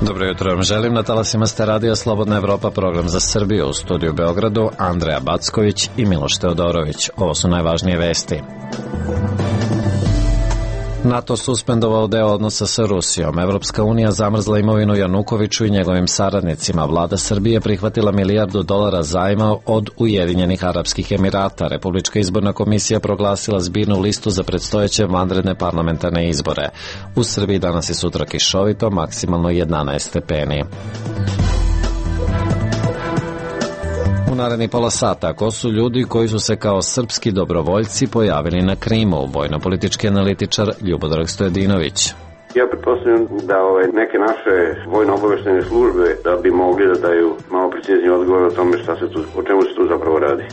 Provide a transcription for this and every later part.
Dobro jutro vam želim, na talasima ste Radio Slobodna Evropa, program za Srbiju, u studiju u Beogradu Andreja Backović i Miloš Teodorović. Ovo su najvažnije vesti. NATO suspendovao deo odnosa sa Rusijom. Evropska unija zamrzla imovinu Janukoviću i njegovim saradnicima. Vlada Srbije prihvatila $1 milijardu zajma od Ujedinjenih Arapskih Emirata. Republička izborna komisija proglasila zbirnu listu za predstojeće vanredne parlamentarne izbore. U Srbiji danas i sutra kišovito, maksimalno 11 stepeni. U narednih pola sata, ko su ljudi koji su se kao srpski dobrovoljci pojavili na Krimu? Vojno-politički analitičar Ljubodrag Stojadinović. Ja pretpostavljam da neke naše vojno-obaveštene službe da bi mogli da daju malo precizniji odgovor o tome o čemu se tu zapravo radi.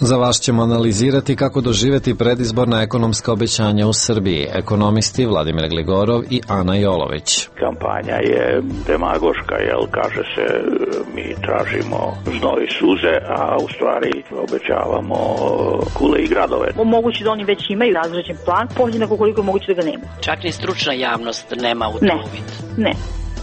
Za vas ćemo analizirati kako doživjeti predizborna ekonomska obećanja u Srbiji. Ekonomisti Vladimir Gligorov i Ana Jolović. Kampanja je demagoška, kaže se mi tražimo znoj i suze, a u stvari obećavamo kule i gradove. Moguće da oni već imaju razrađen plan, podjednako koliko je moguće da ga nema. Čak ni stručna javnost nema u to uvid. Ne.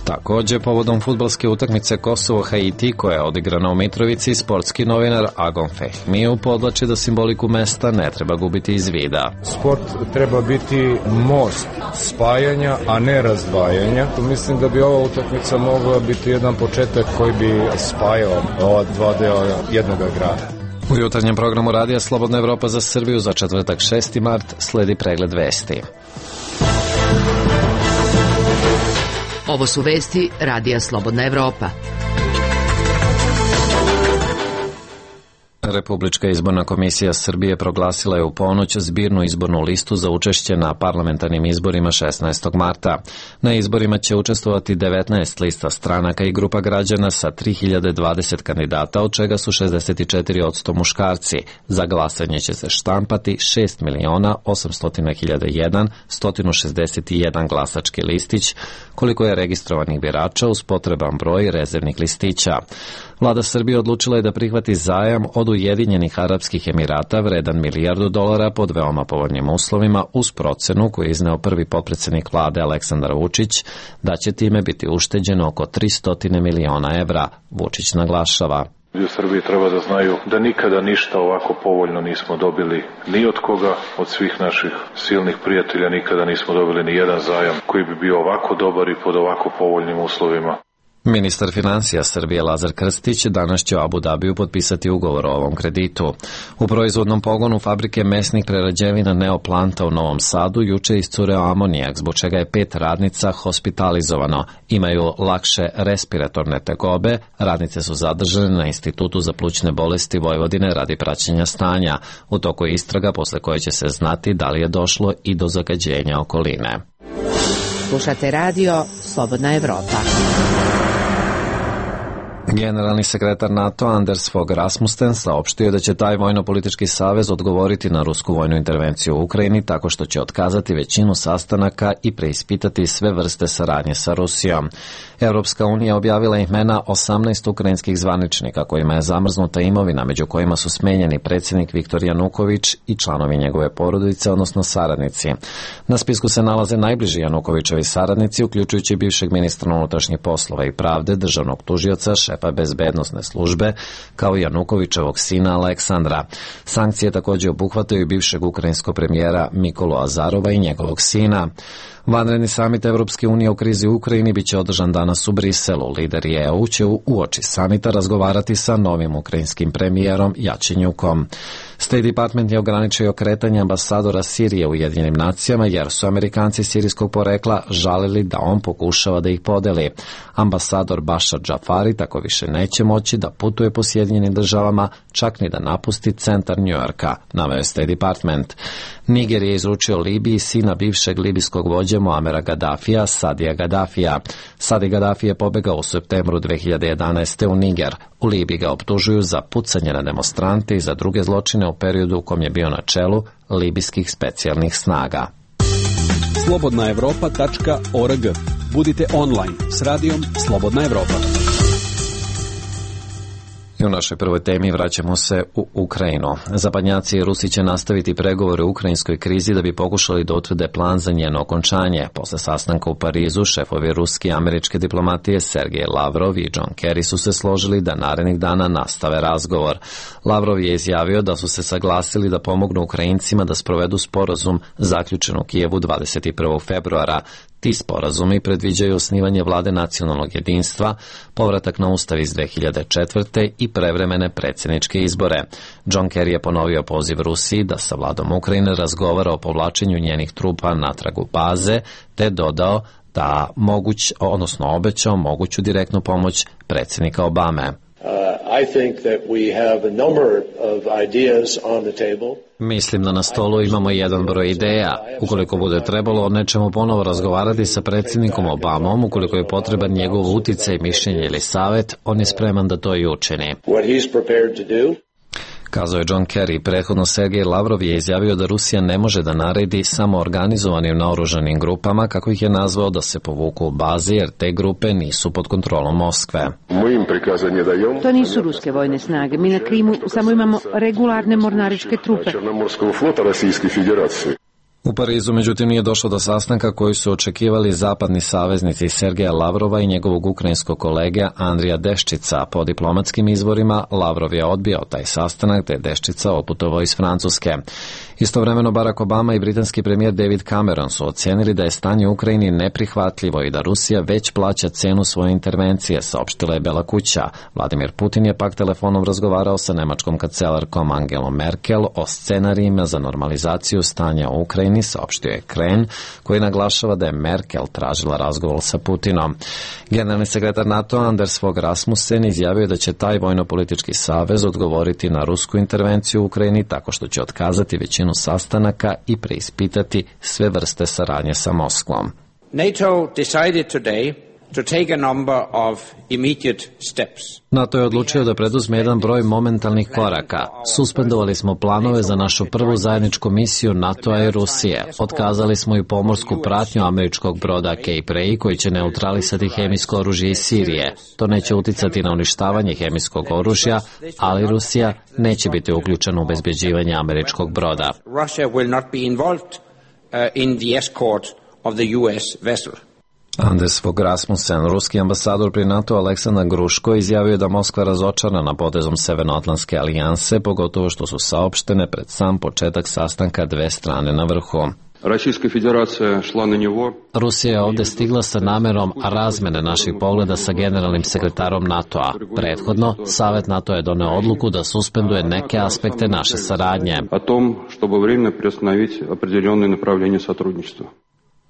Također, povodom fudbalske utakmice Kosovo-Haiti koja je odigrana u Mitrovici, sportski novinar Agon Fehmiju podvlači da simboliku mesta ne treba gubiti iz vida. Sport treba biti most spajanja, a ne razdvajanja. Mislim da bi ova utakmica mogla biti jedan početak koji bi spajao ova dva dela jednog grada. U jutarnjem programu Radija Slobodna Evropa za Srbiju za četvrtak 6. mart sledi pregled vesti. Ovo su vesti Radija Slobodna Evropa. Republička izborna komisija Srbije proglasila je u ponoć zbirnu izbornu listu za učešće na parlamentarnim izborima 16. marta. Na izborima će učestvovati 19 lista stranaka i grupa građana sa 3020 kandidata, od čega su 64% muškarci. Za glasanje će se štampati 6.800.001.161 glasački listić, koliko je registrovanih birača uz potreban broj rezervnih listića. Vlada Srbije odlučila je da prihvati zajam od Ujedinjenih Arapskih Emirata vredan $1 milijardu pod veoma povoljnim uslovima uz procenu koju je izneo prvi potpredsednik vlade Aleksandar Vučić da će time biti ušteđeno oko 300 miliona evra. Vučić naglašava. U Srbiji treba da znaju da nikada ništa ovako povoljno nismo dobili ni od koga, od svih naših silnih prijatelja nikada nismo dobili ni jedan zajam koji bi bio ovako dobar i pod ovako povoljnim uslovima. Ministar financija Srbije Lazar Krstić danas će u Abu Dabiju potpisati ugovor o ovom kreditu. U proizvodnom pogonu fabrike mesnih prerađevina Neoplanta u Novom Sadu juče iscureo amonijak, zbog čega je 5 radnica hospitalizovano. Imaju lakše respiratorne tegobe, radnice su zadržane na Institutu za plućne bolesti Vojvodine radi praćenja stanja. U toku je istraga posle koje će se znati da li je došlo i do zagađenja okoline. Slušate radio Slobodna Evropa. Generalni sekretar NATO Anders Fogh Rasmussen saopštio da će taj vojno-politički savez odgovoriti na rusku vojnu intervenciju u Ukrajini tako što će otkazati većinu sastanaka i preispitati sve vrste saradnje sa Rusijom. Evropska unija objavila imena 18 ukrajinskih zvaničnika kojima je zamrznuta imovina, među kojima su smenjeni predsjednik Viktor Januković i članovi njegove porodice, odnosno saradnici. Na spisku se nalaze najbliži Janukovićevi saradnici, uključujući bivšeg ministra unutrašnjih poslova i pravde, državnog tužioca, šefa bezbednosne službe, kao i Janukovićevog sina Aleksandra. Sankcije također obuhvataju bivšeg ukrajinskog premijera Mikolu Azarova i njegovog sina. Vanredni samit Evropske unije u krizi u Ukrajini biće održan danas u Briselu. Lideri EU će uoči samita razgovarati sa novim ukrajinskim premijerom Jačenjukom. State Department je ograničio kretanje ambasadora Sirije u Ujedinjenim nacijama jer su Amerikanci sirijskog porekla žalili da on pokušava da ih podeli. Ambasador Bashar Jafari tako više neće moći da putuje po Sjedinjenim državama, čak ni da napusti centar Njujorka, naveo je State Department. Niger je izručio Libiji sina bivšeg libijskog vođe Muamera Gaddafija, Sadija Gaddafija. Sadi Gaddafi je pobegao u septembru 2011. u Niger. U Libiji ga optužuju za pucanje na demonstrante i za druge zločine u periodu u kom je bio na čelu libijskih specijalnih snaga. slobodnaevropa.org. Budite online s radijom Slobodna Evropa. U našoj prvoj temi vraćamo se u Ukrajinu. Zapadnjaci i Rusi će nastaviti pregovore u ukrajinskoj krizi da bi pokušali da utvrde plan za njeno okončanje. Posle sastanka u Parizu, šefovi ruske i američke diplomatije Sergej Lavrov i John Kerry su se složili da narednih dana nastave razgovor. Lavrov je izjavio da su se saglasili da pomognu Ukrajincima da sprovedu sporazum zaključen u Kijevu 21. februara. Ti sporazumi predviđaju osnivanje vlade nacionalnog jedinstva, povratak na ustav iz 2004. i prevremene predsjedničke izbore. John Kerry je ponovio poziv Rusiji da sa vladom Ukrajine razgovara o povlačenju njenih trupa natrag u baze, te dodao da obećao moguću direktnu pomoć predsjednika Obame. Mislim da na stolu imamo jedan broj ideja. Ukoliko bude trebalo, nećemo ponovo razgovarati sa predsjednikom Obamom, ukoliko je potreban njegov uticaj, mišljenje ili savjet, on je spreman da to i učini. Kazao je John Kerry. Prethodno Sergej Lavrov je izjavio da Rusija ne može da naredi samo organizovanim naoružanim grupama, kako ih je nazvao, da se povuku u bazi, jer te grupe nisu pod kontrolom Moskve. To nisu ruske vojne snage. Mi na Krimu samo imamo regularne mornaričke trupe. U Parizu, međutim, nije došlo do sastanka koji su očekivali zapadni saveznici Sergeja Lavrova i njegovog ukrajinskog kolege Andrija Deščica. Po diplomatskim izvorima, Lavrov je odbio taj sastanak, te je Deščica otputovao iz Francuske. Istovremeno, Barack Obama i britanski premijer David Cameron su ocenili da je stanje u Ukrajini neprihvatljivo i da Rusija već plaća cenu svoje intervencije, saopštila je Bela kuća. Vladimir Putin je pak telefonom razgovarao sa nemačkom kancelarkom Angelom Merkel o scenarijima za normalizaciju stanja u Ukrajini, saopštio je Kren, koji naglašava da je Merkel tražila razgovor sa Putinom. Generalni sekretar NATO Anders Fogh Rasmussen izjavio da će taj vojno-politički savez odgovoriti na rusku intervenciju u Ukrajini tako što će otkazati većinu sastanaka i preispitati sve vrste saradnje sa Moskvom. NATO decided today to take a number of immediate steps. NATO je odlučio da preduzme jedan broj momentalnih koraka. Suspendovali smo planove za našu prvu zajedničku misiju NATO-a i Rusije. Otkazali smo i pomorsku pratnju američkog broda Cape Ray koji će neutralisati hemijsko oružje iz Sirije. To neće uticati na uništavanje hemijskog oružja, ali Rusija neće biti uključena u obezbeđivanje američkog broda. Russia will not be involved in the escort of the US vessel. Anders Fogh Rasmussen, ruski ambasador pri NATO Aleksandar Gruško, izjavio da Moskva razočarana potezom Severnoatlantske alijanse, pogotovo što su saopštene pred sam početak sastanka dve strane na vrhu. Rusija je ovdje stigla sa namerom razmene naših pogleda sa generalnim sekretarom NATO-a. Prethodno, Savet NATO je doneo odluku da suspenduje neke aspekte naše saradnje.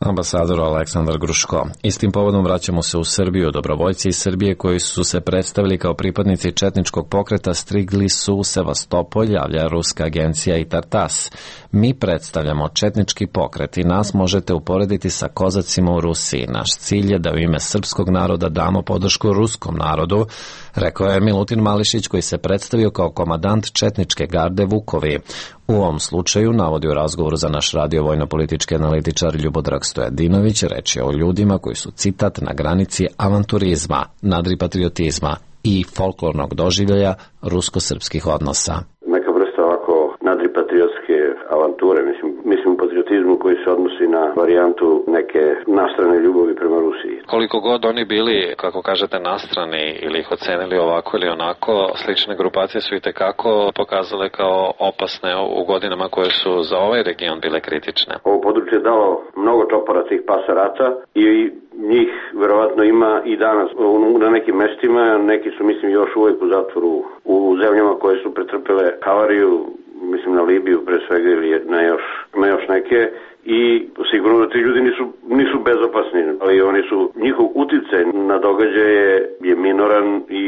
Ambasador Aleksandar Gruško. Istim povodom vraćamo se u Srbiju. Dobrovoljci iz Srbije koji su se predstavili kao pripadnici četničkog pokreta stigli su u Sevastopolj, javlja ruska agencija Itartas. Mi predstavljamo četnički pokret i nas možete uporediti sa kozacima u Rusiji. Naš cilj je da u ime srpskog naroda damo podršku ruskom narodu, rekao je Milutin Mališić koji se predstavio kao komandant četničke garde Vukovi. U ovom slučaju, navodi u razgovoru za naš radio vojno-politički analitičar Ljubodrag Stojadinović, reč je o ljudima koji su, citat, na granici avanturizma, nadripatriotizma i folklornog doživljaja rusko-srpskih odnosa. Neka vrsta ovako nadripatriotske avanture, mislim u patriotizmu koji se odnosi na varijantu neke nastrane ljubavi prema Rusiji. Koliko god oni bili, kako kažete, nastrani ili ih ocenili ovako ili onako, slične grupacije su itekako pokazale kao opasne u godinama koje su za ovaj region bile kritične. Ovo područje je dalo mnogo čopora tih pasa rata i njih verovatno ima i danas na nekim mestima, neki su mislim još uvijek u zatvoru u zemljama koje su pretrpele havariju, mislim na Libiju pre svega ili na još neke, i sigurno da ti ljudi nisu bezopasni, ali oni su, njihov uticaj na događaje je minoran i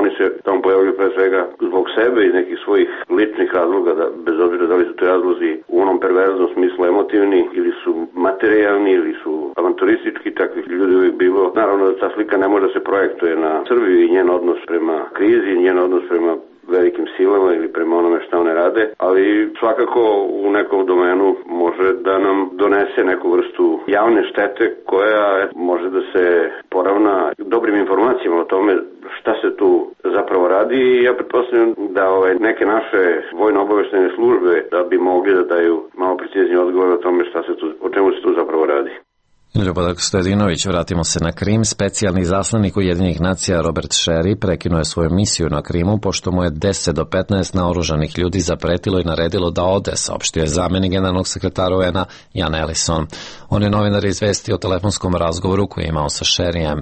oni se tamo pojavljaju pre svega zbog sebe i nekih svojih ličnih razloga, da, bez obzira da li su to razlozi u onom perverznom smislu emotivni ili su materijalni ili su avanturistički, takvih ljudi uvijek bilo. Naravno da ta slika ne može da se projektuje na Srbiju i njen odnos prema krizi, njen odnos prema velikim silama ili prema onome šta one rade, ali svakako u nekom domenu može da nam donese neku vrstu javne štete koja može da se poravna dobrim informacijama o tome šta se tu zapravo radi i ja pretpostavljam da neke naše vojno-obaveštajne službe da bi mogli da daju malo precizniji odgovor o tome o čemu se tu zapravo radi. Ljubodrag Stojadinović, vratimo se na Krim. Specijalni zaslanik Ujedinjenih nacija Robert Sherry prekinuo je svoju misiju na Krimu pošto mu je 10 do 15 naoružanih ljudi zapretilo i naredilo da ode, saopštio je zamenik generalnog sekretara UN-a Jan Ellison. On je novinare izvestio o telefonskom razgovoru koji je imao sa Sherryjem.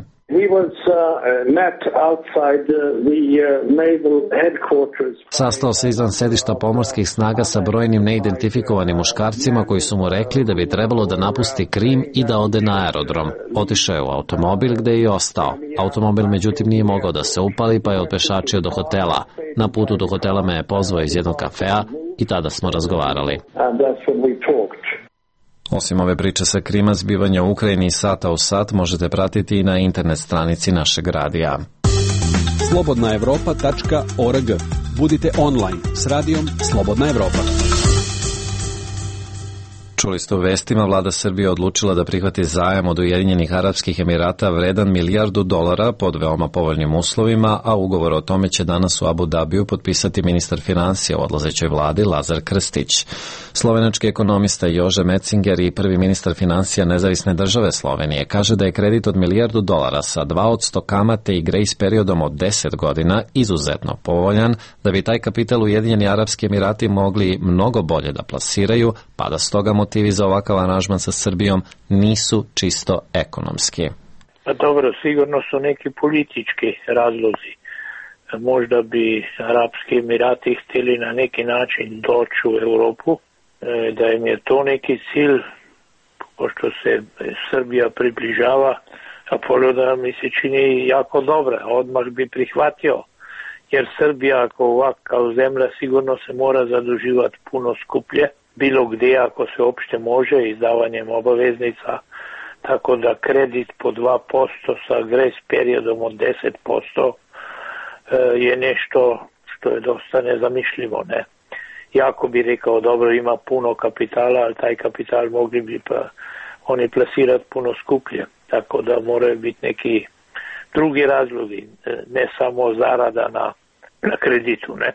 Sastao se izvan sedišta pomorskih snaga sa brojnim neidentifikovanim muškarcima koji su mu rekli da bi trebalo da napusti Krim i da ode na aerodrom. Otišao je u automobil gde je i ostao. Automobil međutim nije mogao da se upali pa je otpešačio do hotela. Na putu do hotela me je pozvao iz jednog kafea i tada smo razgovarali. Osim ove priče sa Krima, zbivanja u Ukrajini sata u sat možete pratiti i na internet stranici našeg radija. slobodnaevropa.org. Budite online s radijom Slobodna Evropa. Čuli ste u vestima, vlada Srbije odlučila da prihvati zajam od Ujedinjenih Arapskih Emirata vredan $1 milijardu pod veoma povoljnim uslovima, a ugovor o tome će danas u Abu Dabiju potpisati ministar finansija u odlazećoj vladi Lazar Krstić. Slovenački ekonomista Jože Metzinger i prvi ministar finansija Nezavisne države Slovenije kaže da je kredit od $1 milijardu sa 2% kamate i grejs periodom od 10 godina izuzetno povoljan, da bi taj kapital Ujedinjeni Arapski Emirati mogli mnogo bolje da plasiraju, pa da stoga motivi za ovakav aranžman sa Srbijom nisu čisto ekonomski. Dobro, sigurno su neki politički razlozi. Možda bi Arapski Emirati htjeli na neki način doći u Europu, da im je to neki cilj, pošto se Srbija približava, a poloda mi se čini jako dobra, odmah bi prihvatio, jer Srbija ako ovak kao zemlja sigurno se mora zaduživati puno skuplje, bilo gdje ako se uopšte može izdavanjem obaveznica, tako da kredit po 2% sa grace periodom od 10% je nešto što je dosta nezamišljivo, ne? Jako bi rekao, dobro, ima puno kapitala, ali taj kapital mogli bi pa oni plasirati puno skuplje, tako da moraju biti neki drugi razlogi, ne samo zarada na kreditu, ne?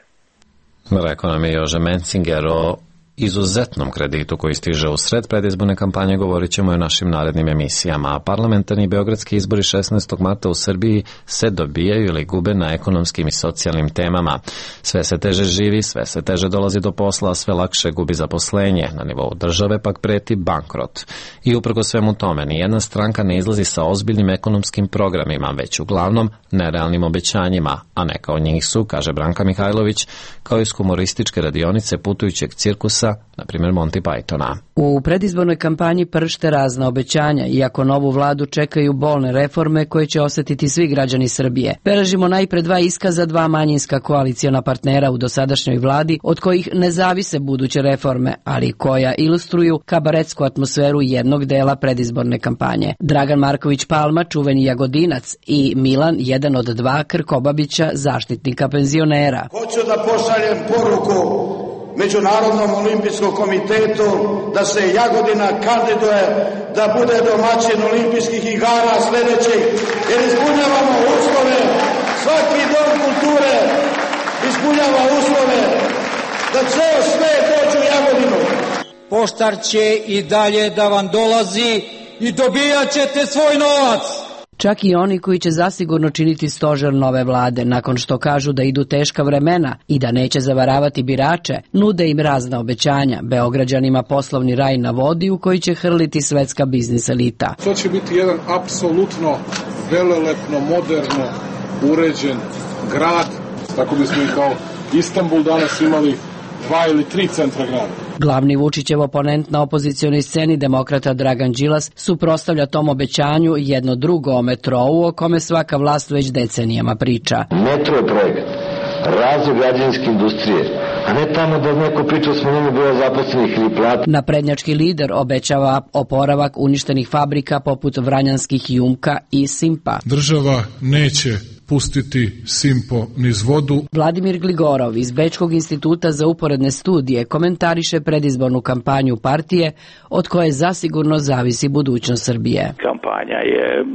Rekao nam je Jože Metzinger o izuzetnom kreditu koji stiže u sred predizborne kampanje, govorit ćemo i o našim narednim emisijama. Parlamentarni beogradski izbori 16. marta u Srbiji se dobijaju ili gube na ekonomskim i socijalnim temama. Sve se teže živi, sve se teže dolazi do posla, a sve lakše gubi zaposlenje. Na nivou države pak preti bankrot. I uprkos svemu tome, nijedna stranka ne izlazi sa ozbiljnim ekonomskim programima, već uglavnom nerealnim obećanjima, a neka od njih su, kaže Branka Mihajlović, kao iz humorističke radionice putujućeg cirkusa, na primjer Monty Pythona. U predizbornoj kampanji pršte razna obećanja, iako novu vladu čekaju bolne reforme koje će osetiti svi građani Srbije. Beležimo najpre 2 iskaza 2 manjinska koaliciona partnera u dosadašnjoj vladi, od kojih ne zavise buduće reforme, ali koja ilustruju kabaretsku atmosferu jednog dela predizborne kampanje. Dragan Marković Palma, čuveni Jagodinac, i Milan, jedan od 2 Krkobabića, zaštitnika penzionera. Hoću da pošaljem poruku Međunarodnom olimpijskom komitetu da se Jagodina kandiduje da bude domaćin olimpijskih igara sljedećih, jer ispunjavamo uslove, svaki dom kulture ispunjava uslove da ceo svet dođe u Jagodinu. Poštar će i dalje da vam dolazi i dobijat ćete svoj novac. Čak i oni koji će zasigurno činiti stožer nove vlade, nakon što kažu da idu teška vremena i da neće zavaravati birače, nude im razna obećanja, Beograđanima poslovni raj na vodi u koji će hrliti svetska biznis elita. To će biti jedan apsolutno velelepno, moderno uređen grad, tako bismo i kao Istanbul danas imali 2 ili 3 centra grada. Glavni Vučićev oponent na opozicionoj sceni, demokrata Dragan Đilas, suprotstavlja tom obećanju jedno drugo o metrou o kome svaka vlast već decenijama priča. Metro je projekat, razvoj građevinske industrije, a ne tamo da neko priča o smanjenju broja zaposlenih ili plata. Naprednjački lider obećava oporavak uništenih fabrika poput Vranjanskih Jumka i Simpa. Država neće pustiti Simpo niz vodu. Vladimir Gligorov iz Bečkog instituta za uporedne studije komentariše predizbornu kampanju partije od koje zasigurno zavisi budućnost Srbije. Kampanja je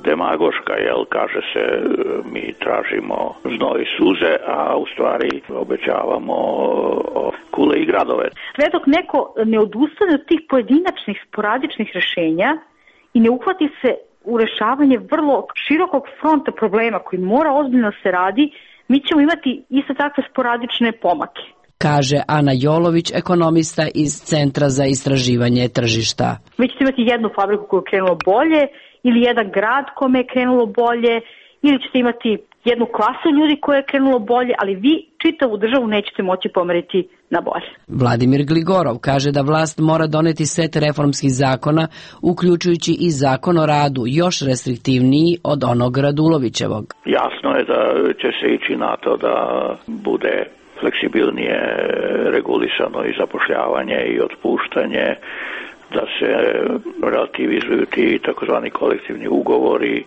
demagoška, kaže se mi tražimo znoj i suze, a u stvari obećavamo kule i gradove. Sve dok neko ne odustane od tih pojedinačnih, sporadičnih rešenja i ne uhvati se u rešavanje vrlo širokog fronta problema koji mora ozbiljno se radi, mi ćemo imati isto takve sporadične pomake. Kaže Ana Jolović, ekonomista iz Centra za istraživanje tržišta. Vi ćete imati jednu fabriku koju je krenulo bolje ili jedan grad kome je krenulo bolje ili ćete imati jednu klasu ljudi koja je krenulo bolje, ali vi čitavu državu nećete moći pomeriti na bolje. Vladimir Gligorov kaže da vlast mora doneti set reformskih zakona, uključujući i zakon o radu, još restriktivniji od onog Radulovićevog. Jasno je da će se ići na to da bude fleksibilnije regulisano i zapošljavanje i otpuštanje, da se relativizuju ti takozvani kolektivni ugovori,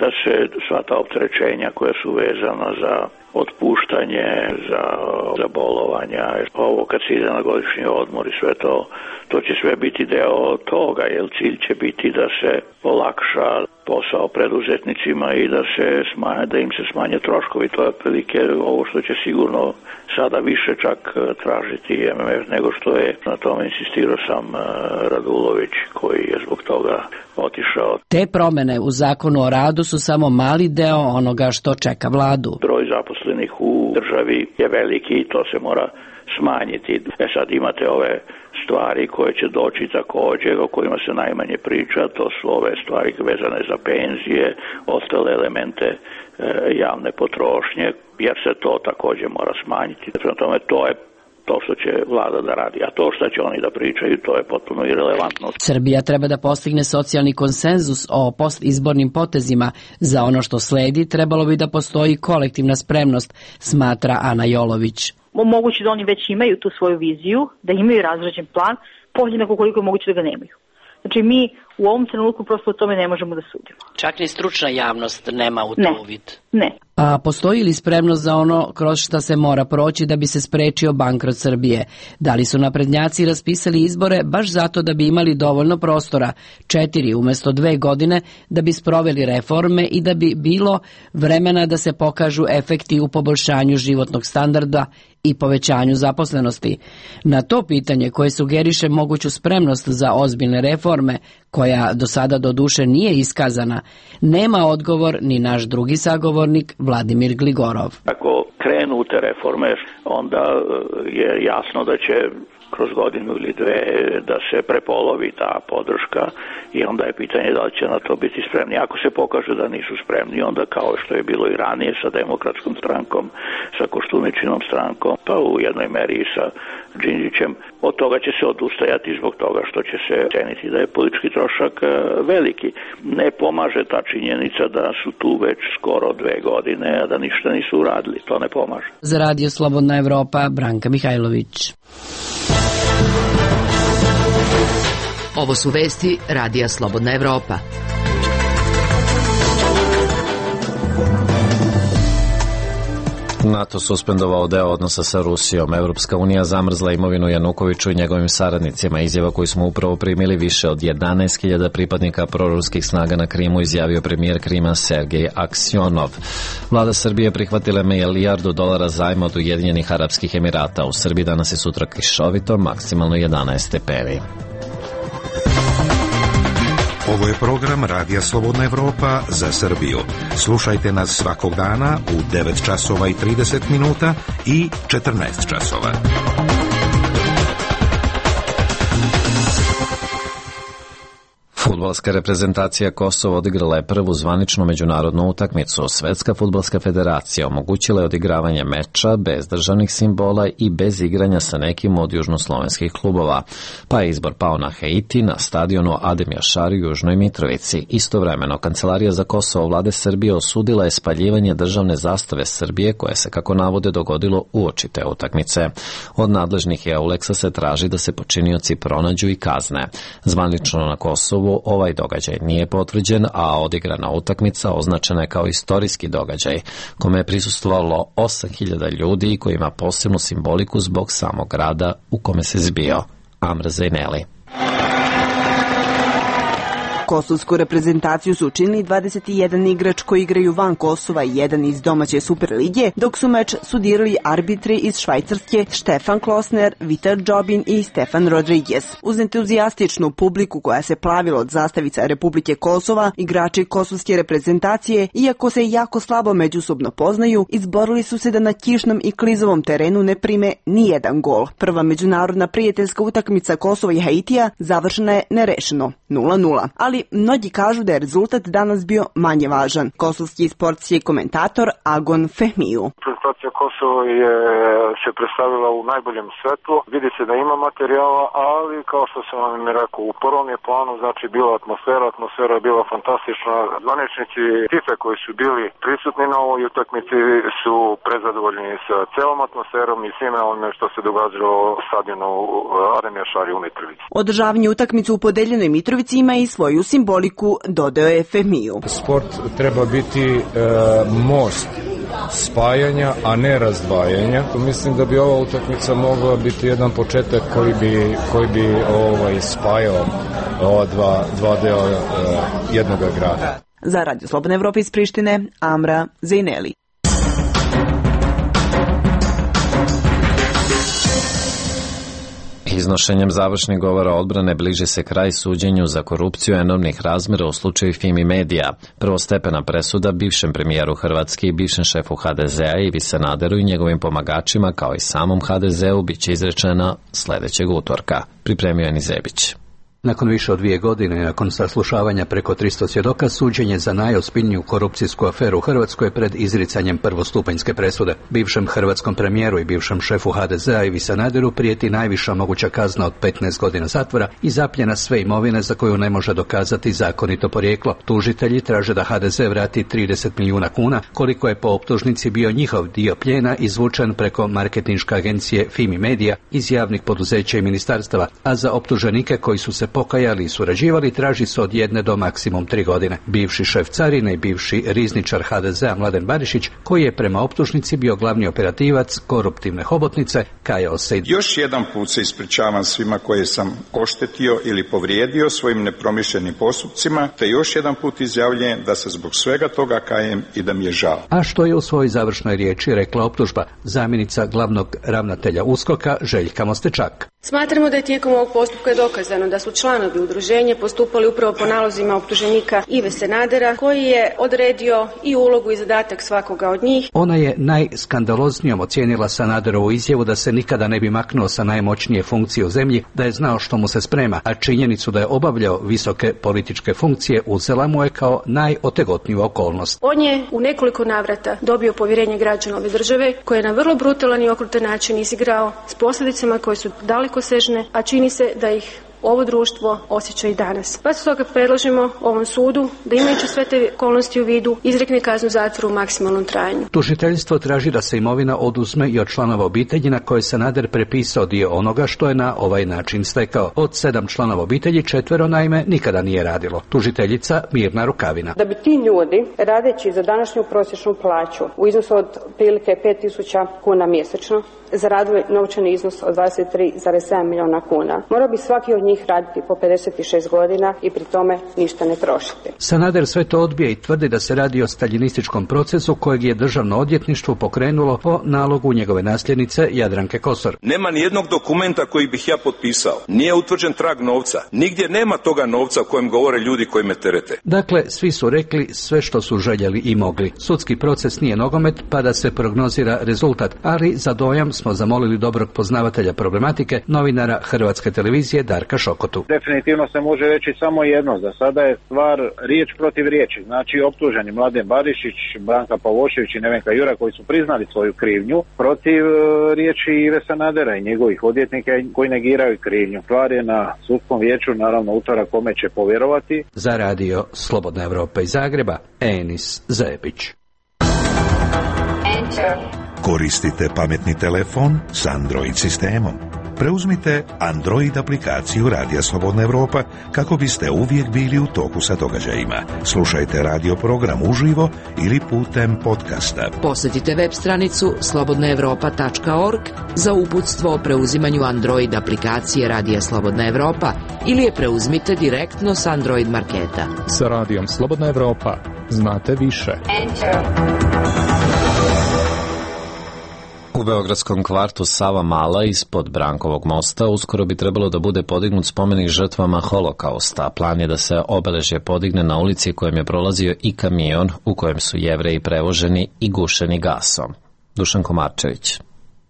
da se sva ta opterećenja koja su vezana za otpuštanje, za bolovanja, ovo kad se ide na godišnji odmor i sve to će sve biti deo toga, jer cilj će biti da se olakša posao preduzetnicima i da im se smanje troškovi. To je otprilike ovo što će sigurno sada više čak tražiti MMF nego što je. Na tome insistirao sam Radulović koji je zbog toga otišao. Te promene u zakonu o radu su samo mali deo onoga što čeka vladu. Broj zaposlenih u državi je veliki i to se mora smanjiti. Sad imate ove stvari koje će doći također, o kojima se najmanje priča, to su ove stvari vezane za penzije, ostale elemente javne potrošnje, jer se to također mora smanjiti. Prema tome, to je to što će vlada da radi, a to što će oni da pričaju, to je potpuno irelevantno. Srbija treba da postigne socijalni konsenzus o postizbornim potezima. Za ono što sledi trebalo bi da postoji kolektivna spremnost, smatra Ana Jolović. Moguće da oni već imaju tu svoju viziju, da imaju razrađen plan, podjednako koliko je moguće da ga nemaju. Znači mi u ovom trenutku prosto o tome ne možemo da sudimo. Čak ni stručna javnost nema u to uvid. Ne. A postoji li spremnost za ono kroz šta se mora proći da bi se sprečio bankrot Srbije? Da li su naprednjaci raspisali izbore baš zato da bi imali dovoljno prostora, 4 umjesto 2 godine, da bi sproveli reforme i da bi bilo vremena da se pokažu efekti u poboljšanju životnog standarda i povećanju zaposlenosti? Na to pitanje koje sugeriše moguću spremnost za ozbiljne reforme, koja do sada doduše nije iskazana, nema odgovor ni naš drugi sagovornik Vladimir Gligorov. Ako krenu te reforme, onda je jasno da će kroz godinu ili dve da se prepolovi ta podrška i onda je pitanje da li će na to biti spremni. Ako se pokaže da nisu spremni, onda kao što je bilo i ranije sa Demokratskom strankom, sa Koštuničinom strankom, pa u jednoj meri i sa Đinđićem, od toga će se odustajati zbog toga što će se ceniti da je politički trošak veliki. Ne pomaže ta činjenica da su tu već skoro 2 godine, a da ništa nisu uradili. To ne pomaže. Za Radio Slobodna Evropa, Branka Mihajlović. Ovo su vesti Radija Slobodna Evropa. NATO suspendovao deo odnosa sa Rusijom. Evropska unija zamrzla imovinu Janukoviću i njegovim saradnicima. Izjava koju smo upravo primili, više od 11.000 pripadnika proruskih snaga na Krimu, izjavio premijer Krima Sergej Aksionov. Vlada Srbije prihvatila $1 milijardu zajma od Ujedinjenih Arapskih Emirata. U Srbiji danas i sutra kišovito, maksimalno 11 stepeni. Ovo je program Radija Slobodna Evropa za Srbiju. Slušajte nas svakog dana u 9 časova i 30 minuta i 14 časova. Fudbalska reprezentacija Kosova odigrala je prvu zvaničnu međunarodnu utakmicu. Svetska fudbalska federacija omogućila je odigravanje meča bez državnih simbola i bez igranja sa nekim od južnoslovenskih klubova, pa je izbor pao na Haiti na stadionu Adem Jašari u Južnoj Mitrovici. Istovremeno, Kancelarija za Kosovo vlade Srbije osudila je spaljivanje državne zastave Srbije, koje se, kako navode, dogodilo uoči te utakmice. Od nadležnih EULEX-a se traži da se počinioci pronađu i kazne. Zvanično na Kosovu ovaj događaj nije potvrđen, a odigrana utakmica označena je kao istorijski događaj, kome je prisustvovalo 8.000 ljudi i koji ima posebnu simboliku zbog samog grada u kome se zbio. Amr Zajneli. Kosovsku reprezentaciju su učinili 21 igrač koji igraju van Kosova i jedan iz domaće Superlige, dok su meč sudirali arbitri iz Švajcarske Štefan Klosner, Vitar Džobin i Stefan Rodriguez. Uz entuzijastičnu publiku koja se plavila od zastavica Republike Kosova, igrači kosovske reprezentacije, iako se jako slabo međusobno poznaju, izborili su se da na kišnom i klizovom terenu ne prime ni jedan gol. Prva međunarodna prijateljska utakmica Kosova i Haitija završena je nerešeno 0:0. Ali mnogi kažu da je rezultat danas bio manje važan. Kosovski sportski komentator Agon Fehmiju. Reprezentacija Kosova je se predstavila u najboljem svetlu. Vidi se da ima materijala, ali kao što sam vam rekao, u prvom je planu znači bila atmosfera je bila fantastična. Zvaničnici FIFA koji su bili prisutni na ovoj utakmici su prezadovoljni sa celom atmosferom i svime onome što se događalo stadionu Ademir Šari u Mitrovici. Održavanje utakmice u podeljenoj Mitrovici ima i svoju simboliku, dodao je Fehmiju. Sport treba biti most spajanja, a ne razdvajanja. Mislim da bi ova utakmica mogla biti jedan početak koji bi spajao ova dva dela jednog grada. Za Radio Slobodna Evropa iz Prištine, Amra Zejneli. Iznošenjem završnih govora odbrane bliži se kraj suđenju za korupciju enormnih razmjera u slučaju Fimi Medija. Prvostepena presuda bivšem premijeru Hrvatske i bivšem šefu HDZ-a Ivi Sanaderu i njegovim pomagačima kao i samom HDZ-u bit će izrečena sljedećeg utorka. Pripremio je Nizebić. Nakon više od 2 godine i nakon saslušavanja preko 300 svjedoka, suđenje za najozbiljniju korupcijsku aferu u Hrvatskoj pred izricanjem prvostupanjske presude. Bivšem hrvatskom premijeru i bivšem šefu HDZ-a Ivi Sanaderu prijeti najviša moguća kazna od 15 godina zatvora i zapljena sve imovine za koju ne može dokazati zakonito porijeklo. Tužitelji traže da HDZ vrati 30 milijuna kuna, koliko je po optužnici bio njihov dio plijena izvučen preko marketinške agencije Fimi Media iz javnih poduzeća i ministarstava, a za optuženike koji su se pokajali i surađivali traži se od 1 do maksimum 3 godine. Bivši šef carine i bivši rizničar HDZ-a Mladen Barišić, koji je prema optužnici bio glavni operativac koruptivne hobotnice, kajao se. Još jedan put se ispričavam svima koje sam oštetio ili povrijedio svojim nepromišljenim postupcima, te još jedan put izjavljujem da se zbog svega toga kajem i da mi je žao. A što je u svojoj završnoj riječi rekla optužba zamjenica glavnog ravnatelja USKOK-a Željka Mostečak. Smatramo da je tijekom ovog postupka dokazano da su članovi udruženja postupali upravo po nalozima optuženika Ive Sanadera, koji je odredio i ulogu i zadatak svakoga od njih. Ona je najskandaloznijom ocijenila Sanaderovu izjavu da se nikada ne bi maknuo sa najmoćnije funkcije u zemlji, da je znao što mu se sprema, a činjenicu da je obavljao visoke političke funkcije uzela mu je kao najotegotniju okolnost. On je u nekoliko navrata dobio povjerenje građana ove države, koje je na vrlo brutalan i okrutan način izigrao s posljedicama koje su dalekosežne, a čini se da ih ovo društvo osjeća i danas. Pa stoga predlažemo ovom sudu da, imajući sve te okolnosti u vidu, izrekne kaznu zatvora u maksimalnom trajanju. Tužiteljstvo traži da se imovina oduzme i od članova obitelji na koje Sanader prepisao dio onoga što je na ovaj način stekao. Od 7 članova obitelji 4 naime nikada nije radilo. Tužiteljica Mirna Rukavina. Da bi ti ljudi, radeći za današnju prosječnu plaću u iznosu od prilike 5.000 kuna mjesečno, zaradili novčani iznos od 23,7 milijuna kuna. Morao bi svaki od njih raditi po 56 godina i pri tome ništa ne trošiti. Sanader sve to odbija i tvrdi da se radi o staljinističkom procesu kojeg je državno odvjetništvo pokrenulo po nalogu njegove nasljednice Jadranke Kosor. Nema ni jednog dokumenta koji bih ja potpisao. Nije utvrđen trag novca. Nigdje nema toga novca o kojem govore ljudi koji me terete. Dakle, svi su rekli sve što su željeli i mogli. Sudski proces nije nogomet pa da se prognozira rezultat, ali za dojam smo zamolili dobrog poznavatelja problematike, novinara Hrvatske televizije Darka Šokotu. Definitivno se može reći samo jedno, za sada je stvar riječ protiv riječi. Znači optuženi Mladen Barišić, Branka Pavošević i Nevenka Jura koji su priznali svoju krivnju protiv riječi Ive Sanadera i njegovih odvjetnika koji negiraju krivnju. Stvar je na sudskom vijeću, naravno utorak kome će povjerovati. Za Radio Slobodna Evropa iz Zagreba, Enis Zebić. Koristite pametni telefon s Android sistemom. Preuzmite Android aplikaciju Radija Slobodna Evropa kako biste uvijek bili u toku sa događajima. Slušajte radio program uživo ili putem podcasta. Posjetite web stranicu slobodnaevropa.org za uputstvo o preuzimanju Android aplikacije Radija Slobodna Evropa ili je preuzmite direktno s Android marketa. Sa Radijom Slobodna Evropa znate više. U beogradskom kvartu Sava Mala ispod Brankovog mosta uskoro bi trebalo da bude podignut spomenik žrtvama holokausta. Plan je da se obeležje podigne na ulici kojem je prolazio i kamion u kojem su Jevreji prevoženi i gušeni gasom. Dušan Komarčević.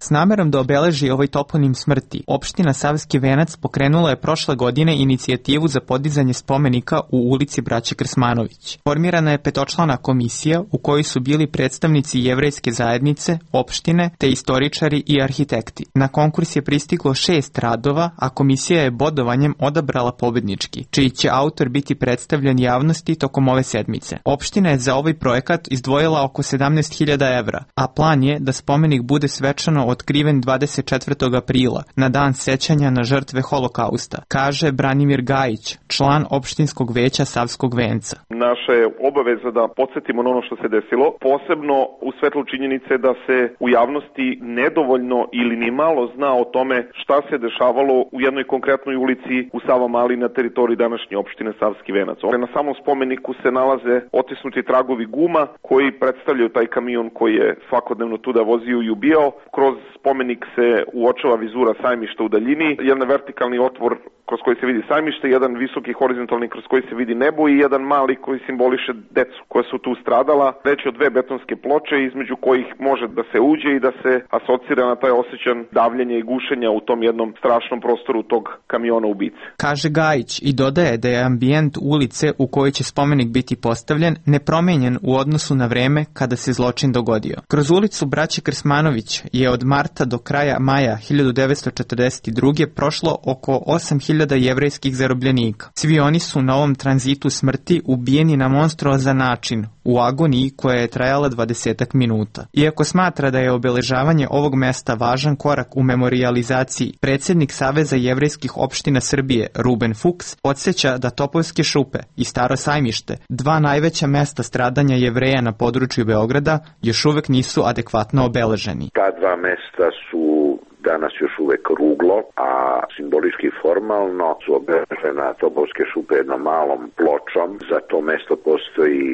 S namerom da obeleži ovaj toponim smrti, opština Savski Venac pokrenula je prošle godine inicijativu za podizanje spomenika u ulici Braće Krsmanović. Formirana je 5-člana komisija u kojoj su bili predstavnici jevrejske zajednice, opštine, te istoričari i arhitekti. Na konkurs je pristiglo 6 radova, a komisija je bodovanjem odabrala pobednički, čiji će autor biti predstavljen javnosti tokom ove sedmice. Opština je za ovaj projekat izdvojila oko 17.000 evra, a plan je da spomenik bude svečano otkriven 24. aprila, na dan sećanja na žrtve holokausta, kaže Branimir Gajić, član opštinskog veća Savskog Venca. Naša je obaveza da podsjetimo na ono što se desilo, posebno u svetlu činjenice da se u javnosti nedovoljno ili ni malo zna o tome šta se dešavalo u jednoj konkretnoj ulici u Savamali na teritoriji današnje opštine Savski Venac. Na samom spomeniku se nalaze otisnuti tragovi guma koji predstavljaju taj kamion koji je svakodnevno tuda vozio i ubijao. Kroz spomenik se uočava vizura sajmišta u daljini, jedan vertikalni otvor kroz koji se vidi sajmište, jedan visoki horizontalni kroz koji se vidi nebo i jedan mali koji simboliše decu koja su tu stradala. Reč je o 2 betonske ploče između kojih može da se uđe i da se asocira na taj osjećan davljenja i gušenja u tom jednom strašnom prostoru tog kamiona ubice. Kaže Gajić i dodaje da je ambijent ulice u kojoj će spomenik biti postavljen nepromenjen u odnosu na vreme kada se zločin dogodio. Kroz ulicu Braće Krsmanović je od marta do kraja maja 1942. prošlo oko 8.000 jevrejskih zarobljenika. Svi oni su na ovom tranzitu smrti ubijeni na monstruozan način, u agoniji koja je trajala 20 minuta. Iako smatra da je obeležavanje ovog mesta važan korak u memorijalizaciji, predsjednik Saveza jevrejskih opština Srbije, Ruben Fuchs, podsjeća da Topolske šupe i Staro sajmište, 2 najveća mesta stradanja Jevreja na području Beograda, još uvek nisu adekvatno obeleženi. Ta 2 mesta su danas još uvek ruglo, a simbolički formalno su obeležena Topolske šupe jednom malom pločom. Za to mesto postoji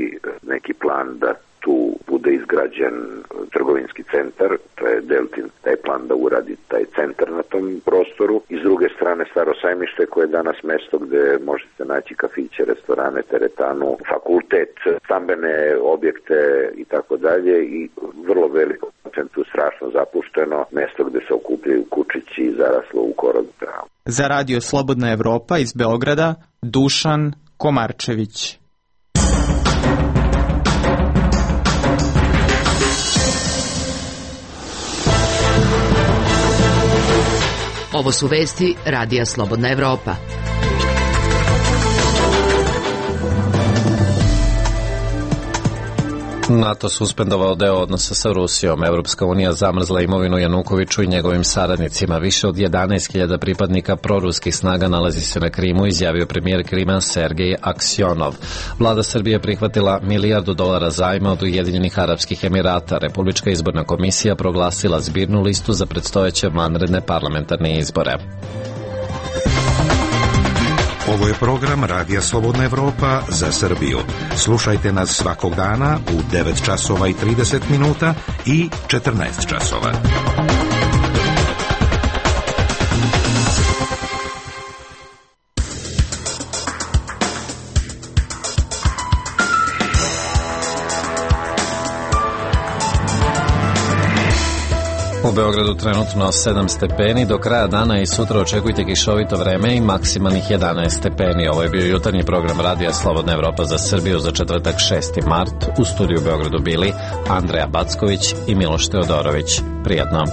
neki plan da tu bude izgrađen trgovinski centar, to je Deltin taj plan da uradi taj centar na tom prostoru. I s druge strane Staro sajmište koje je danas mesto gde možete naći kafiće, restorane, teretanu, fakultet, stambene objekte i tako dalje i vrlo veliko procentu strašno zapušteno mesto gde se okupljaju kučići i zaraslo u korov travu. Za Radio Slobodna Evropa iz Beograda, Dušan Komarčević. Ovo su vesti Radija Slobodna Evropa. NATO suspendovao deo odnosa sa Rusijom. Evropska unija zamrzla imovinu Janukoviću i njegovim saradnicima. Više od 11.000 pripadnika proruskih snaga nalazi se na Krimu, izjavio premijer Krima Sergej Aksjonov. Vlada Srbije prihvatila $1 milijardu zajma od Ujedinjenih Arapskih Emirata. Republička izborna komisija proglasila zbirnu listu za predstojeće vanredne parlamentarne izbore. Ovo je program Radija Slobodna Evropa za Srbiju. Slušajte nas svakog dana u 9 časova i 30 minuta i 14 časova. U Beogradu trenutno 7 stepeni, do kraja dana i sutra očekujte kišovito vreme i maksimalnih 11 stepeni. Ovo je bio jutarnji program Radija Slobodna Evropa za Srbiju za četvrtak 6. mart. U studiju u Beogradu bili Andreja Backović i Miloš Teodorović. Prijatno.